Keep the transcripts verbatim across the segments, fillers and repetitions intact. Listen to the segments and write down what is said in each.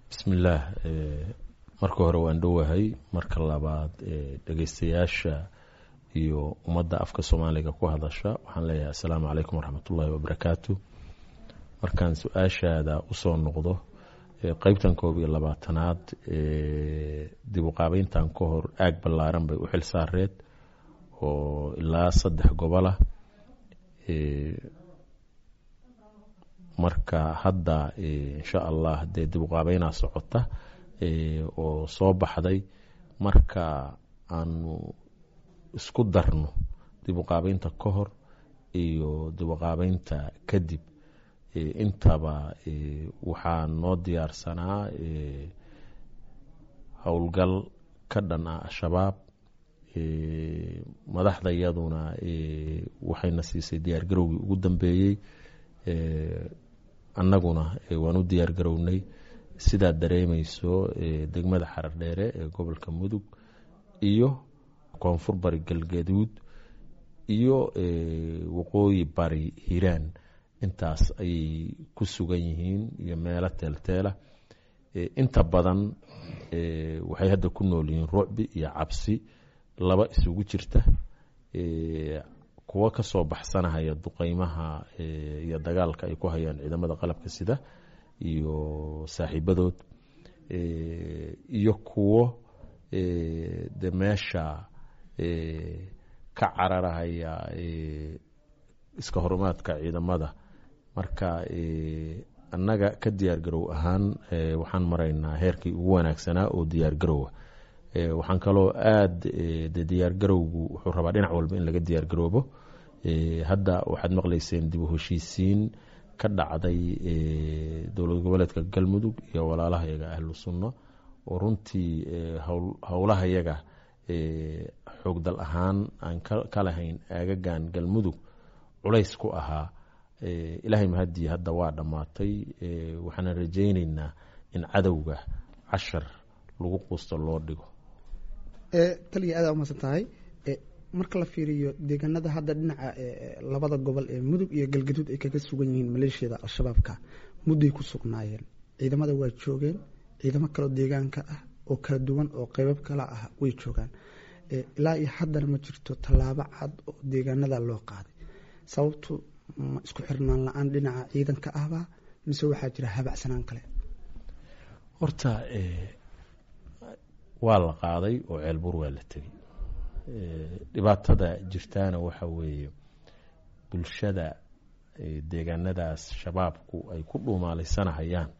Bismillaah, marka hore waan dhowahay. Marka labaad, dhegeystayaasha iyo ummadda afka Soomaaliga ku hadasha waxaan leeyahay assalaamu calaykum waraxmatullaahi wabarakaatu. Markaan su-aashaada usoo noqdo, qeybtan koob iyo labaatanaad dib u qaabeyntan ka hor aag ballaaran bay u xil saareed oo ilaa saddex gobolah. Marka hadda, insha Allah, dee dib u qaabeynaa socota oo soo baxday. Marka aanu isku darno dib u qaabeynta ka hor iyo dib u qaabeynta kadib, intaba waxaa noo diyaarsanaa howlgal ka dhan ah Al-Shabaab. Madaxda iyaduna waxayna siisay diyaargarowgii ugu dambeeyey, annaguna waan u diyaargarownay. Sidaad dareemeyso, degmada Xarardheere ee gobolka Mudug iyo Koonfur Bari Galgaduud iyo Waqooyi Bari Hiiraan intaas ayay ku sugan yihiin iyo meelo teelteela. Inta badan waxay hadda ku nool yihiin rucbi iyo cabsi laba isugu jirta, kuwo kasoo baxsanahaya duqeymaha iyo dagaalka ay ku hayaan ciidamada qalabka sida iyo saaxiibadood, iyo kuwo de meesha ka cararahaya iska horumaadka ciidamada. Marka annaga ka diyaar garow ahaan waxaan maraynaa heerkii ugu wanaagsanaa oo diyaar garowa. Waxaan kaloo aada de diyaar garowgu wuxuu rabaa dhinac walba in laga diyaar garoobo. Hadda waxaad maqlayseen dib u heshiisiin ka dhacday dowlad goboleedka Galmudug iyo walaalahayaga Ahlu Sunno, oo runtii howlahayaga xoogdal ahaan aan ka lahayn aagagan Galmudug culays ku ahaa. Ilaahay mahadii, hadda waa dhammaatay. Waxaana rajayneynaa in cadowga cashar lagu quusto loo dhigo. Taliya, aada umahadsan tahay. Marka la fiiriyo deegaanada hadda dhinaca labada gobol ee Mudug iyo Galgaduud ay kaga sugan yihiin maleeshiyada Al-Shabaabka, mudday ku sugnaayeen, ciidamada waa joogeen, ciidamo kaleo deegaanka ah oo kala duwan oo qeybab kala ah way joogaan. Ilaa iyo haddana ma jirto tallaabo cad oo deegaanada loo qaaday. Sababtu ma isku xirnaan la-aan dhinaca ciidanka ahba, mise waxaa jira habacsanaan kale? Horta waa la qaaday oo Ceelbuur waa la tegey. Dhibaatada jirtaana waxa weeye bulshada deegaanadaas Shabaabku ay ku dhuumaalaysanahayaan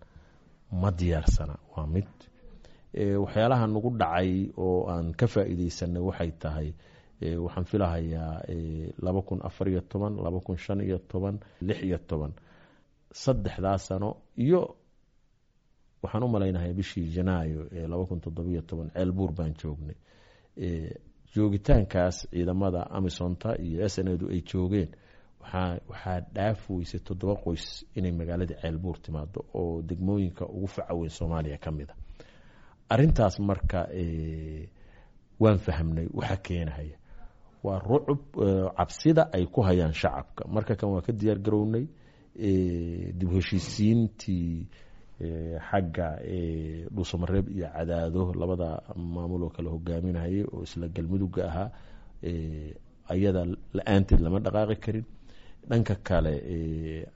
ma diyaarsana. Waa mid waxyaalaha nagu dhacay oo aan ka faa'iideysanay. Waxay tahay, waxaan filahayaa laba kun afar iyo toban, laba kun shan iyo toban, lix iyo toban, saddexdaa sano iyo waxaan u malaynahay bishii Janaayo ee laba kun toddobiyo toban Ceelbuur baan joognay. Joogitaankaas ciidamada Amisonta iyo S N A du ay joogeen, waxaa waxaa dhaaf weysay toddoba qoys inay magaaladii Ceelbuur timaado oo degmooyinka ugu faca weyn Soomaaliya ka mid a arrintaas. Marka waan fahamnay waxa keenahaya waa rucub, cabsida ay ku hayaan shacabka. Marka kan waa ka diyaar garownay dib heshiisiintii xagga Dhuusamareeb iyo Cadaado, labada maamul oo kale hogaaminayay oo isla Galmudugga ahaa, ayada la-aanteed lama dhaqaaqi karin. Dhanka kale,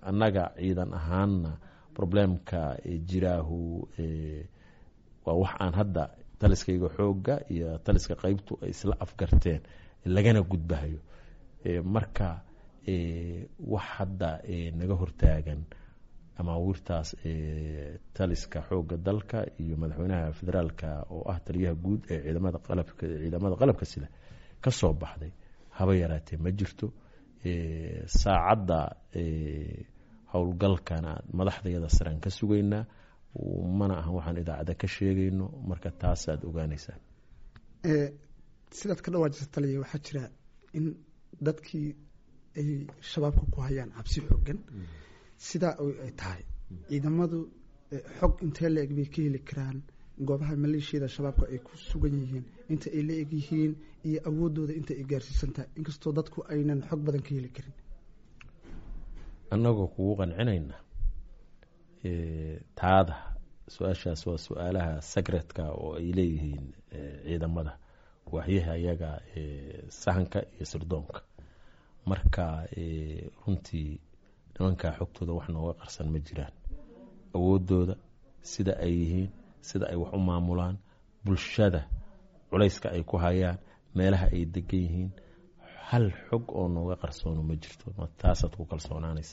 annaga ciidan ahaanna problemka jiraahu waa wax aan hadda taliskayga xoogga iyo taliska qeybtu ay isla afgarteen lagana gudbahayo. Marka wax hadda naga hortaagan amaawiirtaas taliska xoogga dalka iyo madaxweynaha federaalka oo ah taliyaha guud ee ciidamada qalabka ciidamada qalabka sida ka soo baxday haba yaraatee ma jirto. Saacadda howlgalkana madaxdayada saraan ka sugaynaa, mana ahan waxaan idaacadda ka sheegayno. Marka taasaad ogaanaysaan. Sidaad ka dhawaajisa, taliya, waxaa jira in dadkii ay Shabaabka ku hayaan cabsi xoogan. Sidaa ay tahay, ciidamadu xog intee la eg bay ka heli karaan goobaha maleeshiyada Shabaabka ay ku sugan yihiin, inta ay la eg yihiin iyo awooddooda inta ay gaarsiisan tahay, inkastoo dadku aynan xog badan ka heli karin? Annagoo kugu qancinayna taada Su-aashaas waa su-aalaha secretka oo ay leeyihiin ciidamada waaxyaha iyaga sahanka iyo sirdoonka. Marka runtii nimankaa xogtooda wax nooga qarsan ma jiraan, awoodooda sida ay yihiin, sida ay wax u maamulaan, bulshada culayska ay ku hayaan, meelaha ay degan yihiin, hal xog oo nooga qarsoono ma jirto. Taasaad ku kalsoonaanaysa.